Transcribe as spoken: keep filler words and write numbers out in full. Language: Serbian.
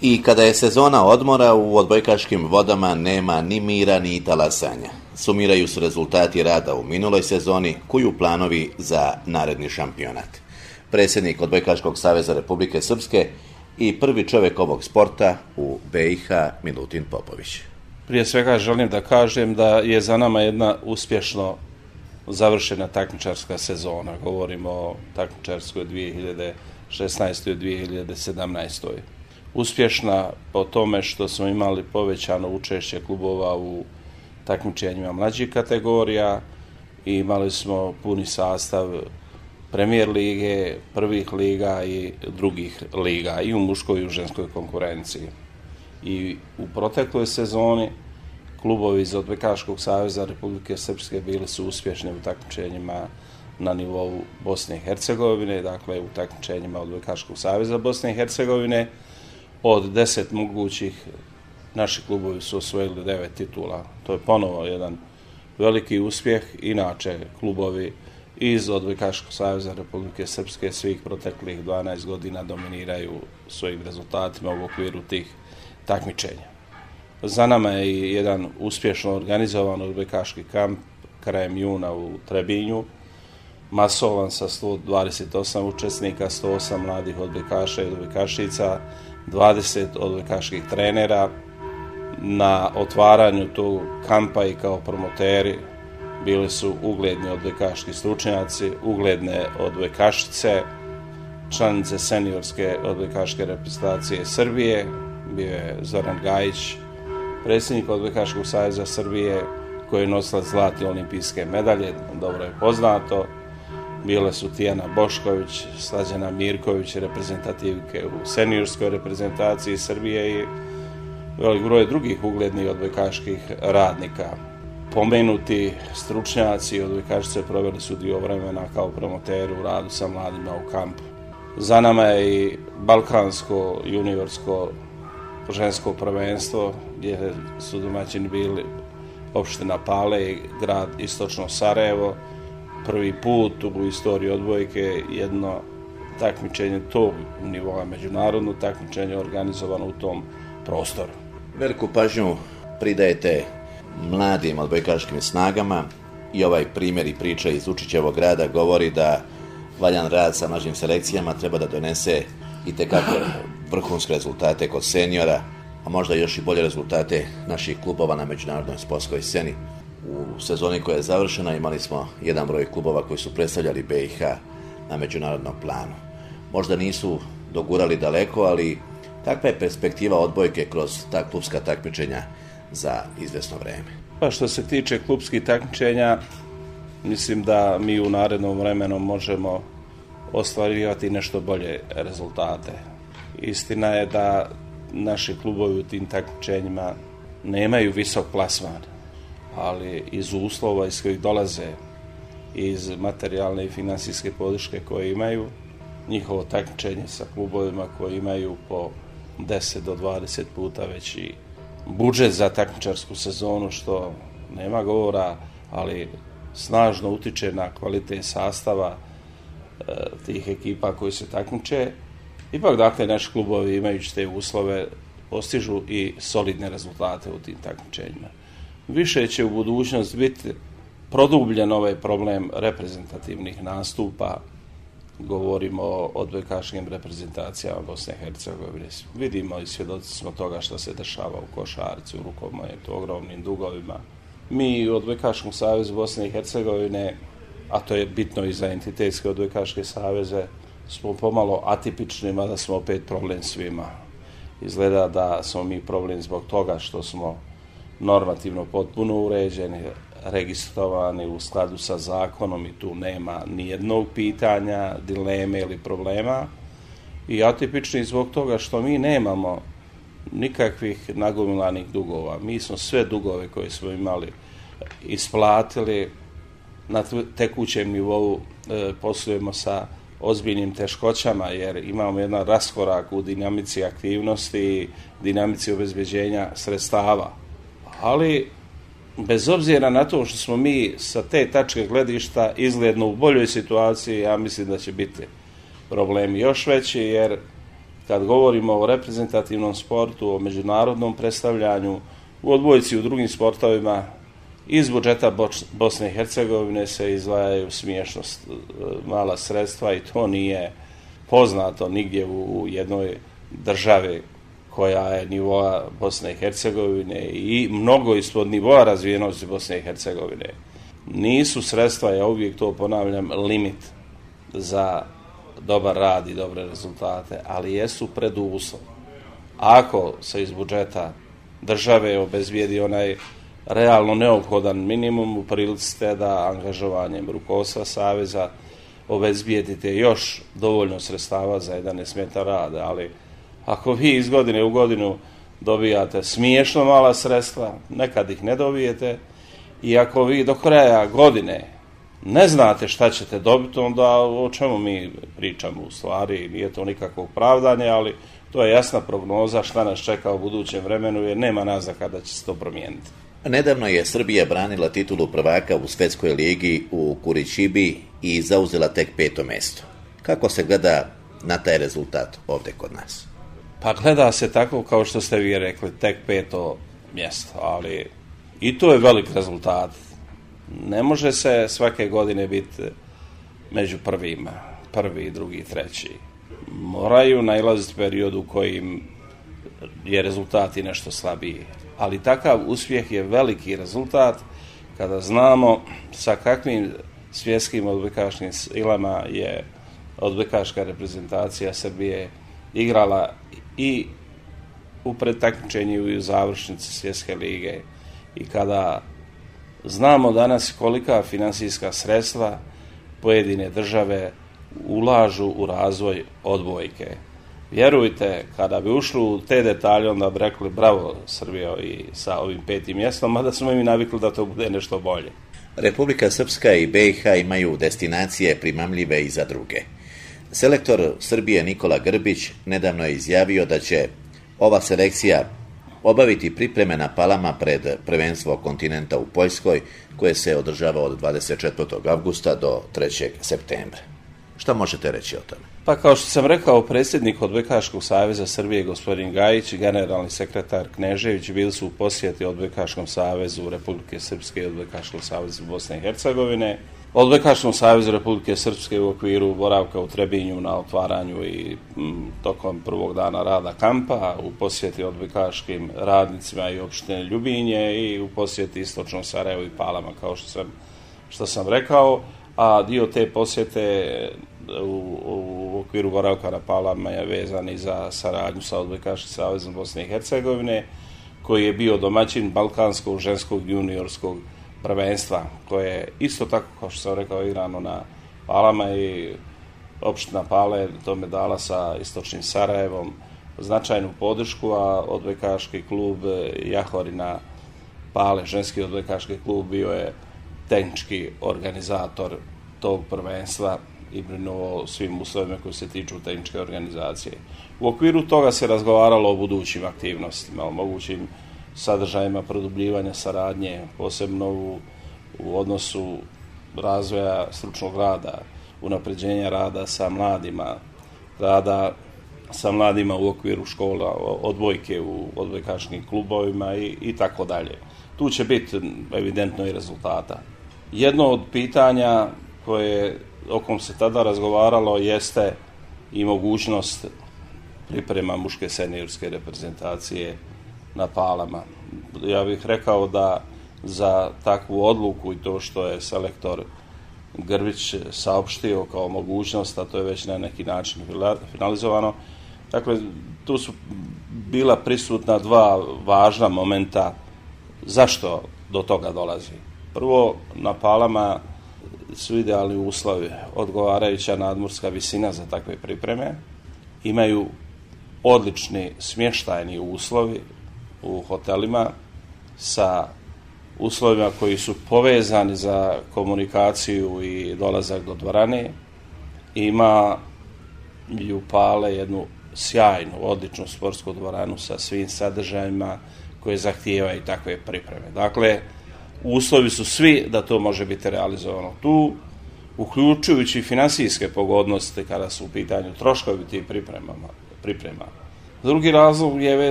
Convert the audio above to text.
I kada je sezona odmora, u odbojkaškim vodama nema ni mira ni talasanja. Sumiraju se rezultati rada u minuloj sezoni, kuju planovi za naredni šampionat. Predsjednik Odbojkaškog saveza Republike Srpske i prvi čovjek ovog sporta u B i H, Milutin Popović. Prije svega želim da kažem da je za nama jedna uspješno završena takmičarska sezona. Govorimo o takmičarskoj dvije hiljade šesnaestoj. dvije hiljade sedamnaestoj. Uspješna po tome što smo imali povećano učešće klubova u takmičenjima mlađih kategorija i imali smo puni sastav Premijer lige, prvih liga i drugih liga i u muškoj i u ženskoj konkurenciji. I u protekloj sezoni klubovi iz Odbojkaškog saveza Republike Srpske bili su uspješni u takmičenjima na nivou Bosne i Hercegovine, dakle u takmičenjima Odbojkaškog saveza Bosne i Hercegovine. Od deset mogućih naši klubovi su osvojili devet titula. To je ponovo jedan veliki uspjeh. Inače, klubovi iz Odbojkaškog saveza Republike Srpske svih proteklih dvanaest godina dominiraju svojim rezultatima u okviru tih takmičenja. Za nama je jedan uspješno organizovan odbojkaški kamp krajem juna u Trebinju, masovan sa sto dvadeset osam učesnika, sto osam mladih odbojkaša i odbojkašica, dvadeset odbojkaških trenera. Na otvaranju tog kampa i kao promoteri bili su ugledni odbojkaški stručnjaci, ugledne odbojkašice, članice seniorske odbojkaške reprezentacije Srbije, bio je Zoran Gajić, predsjednik Odbojkaškog saveza Srbije, koji je nosila zlatne olimpijske medalje, dobro je poznato. Bile su Tijana Bošković, Slađana Mirković, reprezentativke u seniorskoj reprezentaciji Srbije i velik broj drugih uglednih odbojkaških radnika. Pomenuti stručnjaci i odbojkašice proveli su dio vremena kao promoteri u radu sa mladima u kampu. Za nama je i balkansko juniorsko žensko prvenstvo, gdje su domaćini bili opština Pale i grad Istočno Sarajevo. Prvi put u istoriji odbojke jedno takmičenje tog nivoa, međunarodno takmičenje organizovano u tom prostoru. Veliku pažnju pridajete mladim odbojkaškim snagama i ovaj primjer i priča iz Učićevog grada govori da valjan rad sa mlađim selekcijama treba da donese i tekako vrhunske rezultate kod seniora, a možda još i bolje rezultate naših klubova na međunarodnoj sportskoj sceni. U sezoni koja je završena imali smo jedan broj klubova koji su predstavljali B i H na međunarodnom planu. Možda nisu dogurali daleko, ali kakva je perspektiva odbojke kroz ta klubska takmičenja za izvesno vreme? Pa što se tiče klubskih takmičenja, mislim da mi u narednom vremenu možemo ostvarivati nešto bolje rezultate. Istina je da naši klubovi u tim takmičenjima nemaju visok plasman, ali iz uslova iz kojih dolaze, iz materijalne i finansijske podrške koje imaju, njihovo takmičenje sa klubovima koji imaju po deset do dvadeset puta veći budžet za takmičarsku sezonu, što nema govora, ali snažno utiče na kvalitet sastava e, tih ekipa koji se takmiče. Ipak, dakle, naši klubovi imajući te uslove postižu i solidne rezultate u tim takmičenjima. Više će u budućnosti biti produbljen ovaj problem reprezentativnih nastupa. Govorimo o odbojkaškim reprezentacijama Bosne i Hercegovine. Vidimo i svjedoci smo toga što se dešava u košarci, u rukometu, ogromnim dugovima. Mi u Odbojkaškom savezu Bosne i Hercegovine, a to je bitno i za entitetske odbojkaške saveze, smo pomalo atipični, mada smo opet problem svima. Izgleda da smo mi problem zbog toga što smo normativno potpuno uređeni, registrovani u skladu sa zakonom i tu nema nijednog pitanja, dileme ili problema. I atipični zbog toga što mi nemamo nikakvih nagomilanih dugova. Mi smo sve dugove koje smo imali isplatili, na tekućem nivou e, poslujemo sa ozbiljnim teškoćama jer imamo jedan raskorak u dinamici aktivnosti, dinamici obezbeđenja sredstava. Ali bez obzira na to što smo mi sa te tačke gledišta izgledno u boljoj situaciji, ja mislim da će biti problemi još veći, jer kad govorimo o reprezentativnom sportu, o međunarodnom predstavljanju, u odbojci u drugim sportovima, iz budžeta Bosne i Hercegovine se izdvajaju smiješno mala sredstva i to nije poznato nigdje u jednoj državi koja je nivoa Bosne i Hercegovine i mnogo ispod nivoa razvijenosti Bosne i Hercegovine. Nisu sredstva, ja uvijek to ponavljam, limit za dobar rad i dobre rezultate, ali jesu preduslov. Ako se iz budžeta države obezbijedi onaj realno neophodan minimum, u prilici ste da angažovanjem rukovodstva saveza obezbijedite još dovoljno sredstava za jedan nesmetan rad, ali ako vi iz godine u godinu dobijate smiješno mala sredstva, nekad ih ne dobijete, i ako vi do kraja godine ne znate šta ćete dobiti, onda o čemu mi pričamo u stvari, nije to nikakvo pravdanje, ali to je jasna prognoza šta nas čeka u budućem vremenu, jer nema naznaka da će se to promijeniti. Nedavno je Srbija branila titulu prvaka u Svetskoj ligi u Kurićibi i zauzela tek peto mjesto. Kako se gleda na taj rezultat ovdje kod nas? Pa gleda se tako kao što ste vi rekli, tek peto mjesto, ali i to je velik rezultat. Ne može se svake godine biti među prvima, prvi, drugi, treći. Moraju nailaziti period u kojim je rezultat i nešto slabiji. Ali takav uspjeh je veliki rezultat kada znamo sa kakvim svjetskim odbojkaškim silama je odbojkaška reprezentacija Srbije igrala i u predtakmičenju i u završnici Svjetske lige. I kada znamo danas kolika finansijska sredstva pojedine države ulažu u razvoj odbojke. Vjerujte, kada bi ušli u te detalje, onda bi rekli bravo Srbijo i sa ovim petim mjestom, mada smo im navikli da to bude nešto bolje. Republika Srpska i be i ha imaju destinacije primamljive i za druge. Selektor Srbije Nikola Grbić nedavno je izjavio da će ova selekcija obaviti pripreme na Palama pred prvenstvo kontinenta u Poljskoj, koje se održava od dvadeset četvrtog avgusta do trećeg septembra. Šta možete reći o tome? Pa kao što sam rekao, predsjednik Odbojkaškog saveza Srbije gospodin Gajić i generalni sekretar Knežević bili su u posjeti Odbojkaškom savezu Republike Srpske i Odbojkaškom savezu Bosne i Hercegovine. Odbojkaškom savezu Republike Srpske u okviru boravka u Trebinju na otvaranju i m, tokom prvog dana rada kampa, u posjeti odbojkaškim radnicima i opštine Ljubinje i u posjeti istočnom Sarajevu i Palama, kao što sam, što sam rekao, a dio te posjete u, u okviru boravka na Palama je vezan i za saradnju sa Odbojkaškim savezom Bosne i Hercegovine, koji je bio domaćin balkanskog ženskog juniorskog prvenstva, koje je isto tako, kao što sam rekao, igrano na Palama i opština Pale tome dala sa istočnim Sarajevom značajnu podršku, a odbojkaški klub Jahorina Pale, ženski odbojkaški klub, bio je tehnički organizator tog prvenstva i brinuo svim uslovima koji se tiču tehničke organizacije. U okviru toga se razgovaralo o budućim aktivnostima, o mogućim sadržajima produbljivanja saradnje, posebno u, u odnosu razvoja stručnog rada, unapređenja rada sa mladima, rada sa mladima u okviru škola, odbojke u odbojkaškim klubovima i, i tako dalje. Tu će biti evidentno i rezultata. Jedno od pitanja koje o kom se tada razgovaralo jeste i mogućnost priprema muške seniorske reprezentacije na Palama. Ja bih rekao da za takvu odluku i to što je selektor Grbić saopštio kao mogućnost, a to je već na neki način finalizovano. Dakle, tu su bila prisutna dva važna momenta zašto do toga dolazi. Prvo, na Palama su idealni uslovi, odgovarajuća nadmorska visina za takve pripreme, imaju odlični smještajni uslovi u hotelima sa uslovima koji su povezani za komunikaciju i dolazak do dvorane. Ima i u Pale jednu sjajnu, odličnu sportsku dvoranu sa svim sadržajima koje zahtijevaju takve pripreme. Dakle, uslovi su svi da to može biti realizovano tu, uključujući finansijske pogodnosti kada su u pitanju troškovi tih pripremama. priprema. Drugi razlog je vezan